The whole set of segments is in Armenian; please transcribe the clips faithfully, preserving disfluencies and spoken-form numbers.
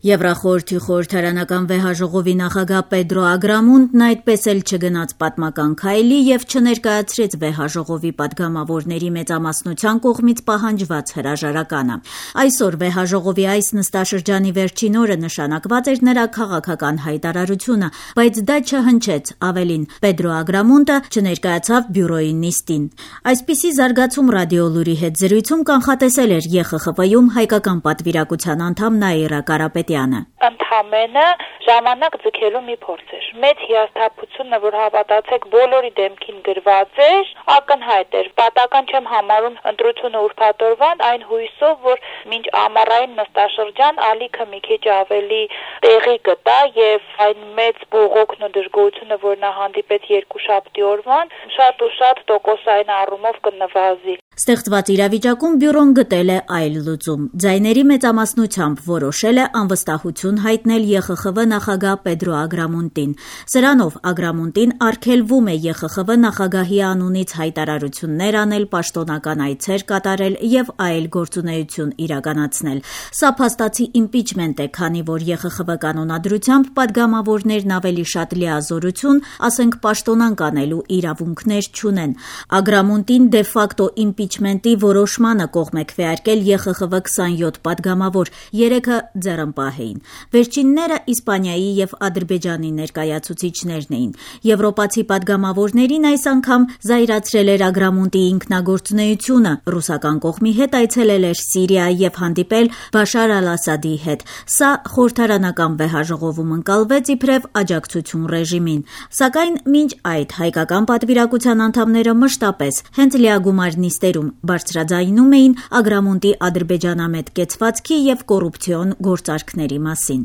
Եվրախորհրդի խորհրդարանական վեհաժողովի նախագահ Պեդրո Ագրամունդն այդպես էլ չգնաց պատմական քայլի եւ չներկայացրեց վեհաժողովի պատգամավորների մեծամասնության կողմից պահանջված հրաժարականը։ Այսօր վեհաժողովի այս նստաշրջանի վերջին օրը նշանակված էր նրա քաղաքական հայտարարությունը, բայց դա չհնչեց, ավելին Պեդրո Ագրամունդը չներկայացավ բյուրոյի նիստին։ Այսպիսի զարգացում Ռադիոլուրի հետ զրույցում կանխատեսել էր ԵԽԽՎ-ում հայկական պատվիրակության անդամ Նաիրա Կարապետյանը։ Ընդհանրապես ժամանակ ձգելու մի փորձ էր։ Մեծ հիասթափությունը, որ հավատացեք բոլորի դեմքին գրված էր, ակնհայտ էր։ Պատական չեմ համարում ընտրությունը ուրբաթօրվան, այն հույսով, որ մինչ ամառային նստաշրջան ալիքը մի քիչ ավելի տեղի գտա եւ այն մեծ բողոքն ու դժգոհությունը, որ նա հանդիպեց երկուշաբթի օրվան, շատ ու շատ տոկոսային առումով կնվազի։ Ստեղծված իրավիճակում բյուրոն գտել է այլ լուծում։ Ձայների մեծամասնությամբ որոշել է անվստահություն հայտնել ԵԽԽՎ նախագահ Պեդրո Ագրամունդին։ Սրանով Ագրամունդին արգելվում է ԵԽԽՎ նախագահի անունից հայտարարություններ անել, պաշտոնական այցեր կատարել եւ այլ գործունեություն իրականացնել։ Սա փաստացի իմպիչմենտ է, քանի որ ԵԽԽՎ կանոնադրությամբ պատգամավորներն ավելի շատ լիազորություն, ասենք պաշտոնանկ անելու իրավունքներ չունեն։ Ագրամունդին դե ֆակտո իմպիչմենտի որոշմանը կողմ է քվեարկել ԵԽԽՎ քսանյոթ պատգամավոր, երեքը ձեռնպահ էին։ Վերջինները Իսպանիայի եւ Ադրբեջանի ներկայացուցիչներն էին։ Եվրոպացի պատգամավորներին այս անգամ զայրացրել էր Ագրամունդի ինքնագործունեությունը, ռուսական կողմի հետ այցելել էր Սիրիա եւ հանդիպել Բաշար ալ-Ասադի հետ։ Սա խորհրդարանական վեհաժողովում ընկալվեց իբրև աջակցություն ռեժիմին։ Սակայն մինչ այդ հայկական պատվիրակության անդամները մշտապես հենց լիագումար նիստերում բարձրաձայնում էին Ագրամունդի ադրբեջանամետ կեցվածքի եւ կոռուպցիոն գործարքների մասին։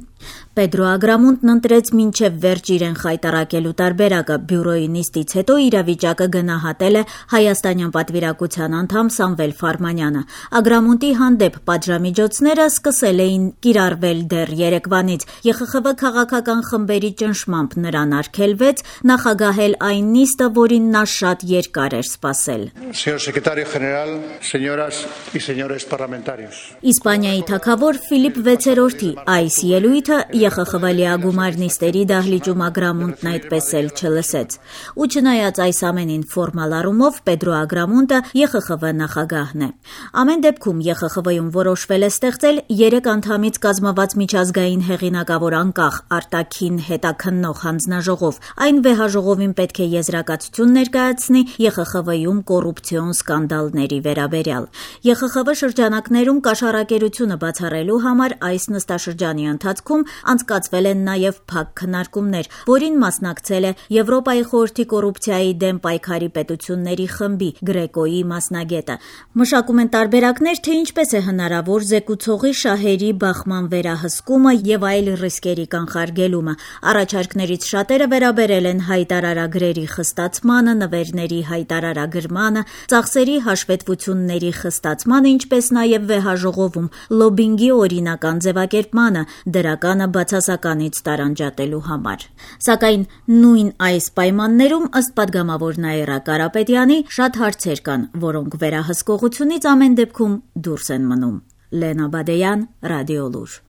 Պեդրո Ագրամունդն ընտրեց մինչև վերջ իրեն խայտառակելու տարբերակը։ Բյուրոյի նիստից հետո իրավիճակը գնահատել է հայաստանյան պատվիրակության անդամ Սամվել Ֆարմանյանը։ Ագրամունդի հանդեպ պատժամիջոցները սկսել էին կիրառվել դեռ երեկվանից։ ԵԽԽՎ քաղաքական խմբերի ճնշմամբ նրան արգելվեց նախագահել այն նիստը, որին նա շատ երկար էր սպասել։ Իսպանիայի թագավոր Ֆիլիպ վեցերորդի այս ելույթը ԵԽԽՎ լիագումար նիստերի դահլիճում Ագրամունդն այդպես էլ չլսեց։ Ու չնայած այս ամենին ֆորմալ առումով Պեդրո Ագրամունդը ԵԽԽՎ նախագահն է։ Ամեն դեպքում ԵԽԽՎ-ում որոշվել է ստեղծել երեք անդամից կազմված միջազգային հեղինակավոր անկախ արտաքին հետաքննող հանձնաժողով։ Այն վեհաժողովին պետք է եզրակացություն ներկայացնի ԵԽԽՎ-ում կոռուպցիոն սկանդալների վերաբերյալ։ ԵԽԽՎ շրջանակներում կաշառակերությունը բացառելու համար այս նստաշրջանի ընթացքում անցկացվել են նաև փակ քննարկումներ, որին մասնակցել է Եվրոպայի խորհրդի կոռուպցիայի դեմ պայքարի պետությունների խմբի Գրեկոյի մասնագետը։ Մշակում են տարբերակներ, թե ինչպես է հնարավոր զեկուցողի շահերի բախման վերահսկումը եւ այլ ռիսկերի կանխարգելումը։ Առաջարկներից շատերը վերաբերել են հայտարարագրերի խստացմանը, նվերների հայտարարագրմանը, ծախսերի հաշվետվությունների խստացմանը, ինչպես նաև վեհաժողովում լոբինգի օրինական ձևակերպմանը, դրականը բացասականից տարանջատելու համար։ Սակայն նույն այս պայմաններում, ըստ պատգամավոր Նաիրա Կարապետյանի, շատ հարցեր կան, որոնք վերահսկողությունից ամեն դեպքում դուրս են մնում։ Լենա Բադեյան, Ռադիոլուր։